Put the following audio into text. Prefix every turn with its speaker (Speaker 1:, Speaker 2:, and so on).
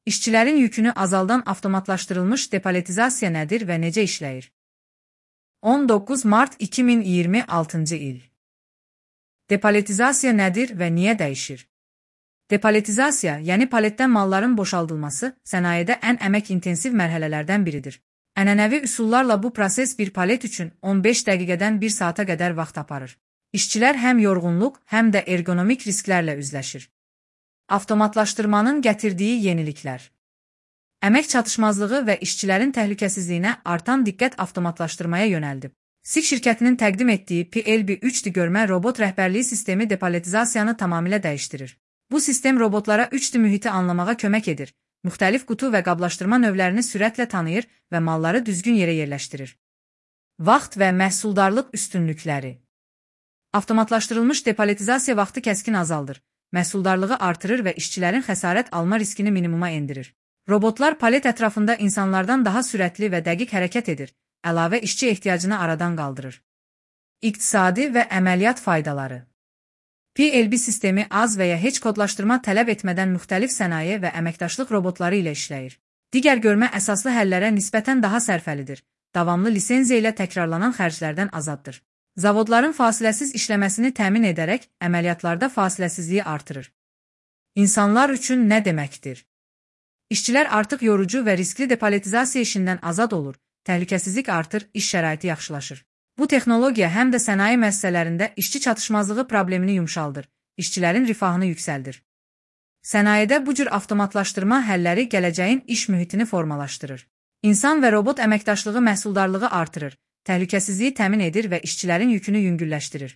Speaker 1: İşçilərin yükünü azaldan avtomatlaşdırılmış depaletizasiya nədir və necə işləyir? 19 mart 2026-cı il. Depaletizasiya nədir və niyə dəyişir? Depaletizasiya, yəni paletdən malların boşaldılması, sənayedə ən əmək-intensiv mərhələlərdən biridir. Ənənəvi üsullarla bu proses bir palet üçün 15 dəqiqədən 1 saata qədər vaxt aparır. İşçilər həm yorğunluq, həm də ergonomik risklərlə üzləşir. Avtomatlaşdırmanın gətirdiyi yeniliklər. Əmək çatışmazlığı və işçilərin təhlükəsizliyinə artan diqqət avtomatlaşdırmaya yönəldib. SIG şirkətinin təqdim etdiyi PLB-3D görmə robot rəhbərliyi sistemi depaletizasiyanı tamamilə dəyişdirir. Bu sistem robotlara 3D mühiti anlamağa kömək edir, müxtəlif qutu və qablaşdırma növlərini sürətlə tanıyır və malları düzgün yerə yerləşdirir. Vaxt və məhsuldarlıq üstünlükləri. Avtomatlaşdırılmış depaletizasiya vaxtı kəskin azaldır, məhsuldarlığı artırır və işçilərin xəsarət alma riskini minimuma endirir. Robotlar palet ətrafında insanlardan daha sürətli və dəqiq hərəkət edir, əlavə işçi ehtiyacını aradan qaldırır. İqtisadi və əməliyyat faydaları. PLB sistemi az və ya heç kodlaşdırma tələb etmədən müxtəlif sənaye və əməkdaşlıq robotları ilə işləyir. Digər görmə əsaslı həllərə nisbətən daha sərfəlidir, davamlı lisenziya ilə təkrarlanan xərclərdən azaddır. Zavodların fasiləsiz işləməsini təmin edərək əməliyyatlarda fasiləsizliyi artırır. İnsanlar üçün nə deməkdir? İşçilər artıq yorucu və riskli depaletizasiya işindən azad olur, təhlükəsizlik artır, iş şəraiti yaxşılaşır. Bu texnologiya həm də sənaye müəssisələrində işçi çatışmazlığı problemini yumşaldır, işçilərin rifahını yüksəldir. Sənayedə bu cür avtomatlaşdırma həlləri gələcəyin iş mühitini formalaşdırır. İnsan və robot əməkdaşlığı məhsuldarlığı artırır, təhlükəsizliyi təmin edir və işçilərin yükünü yüngülləşdirir.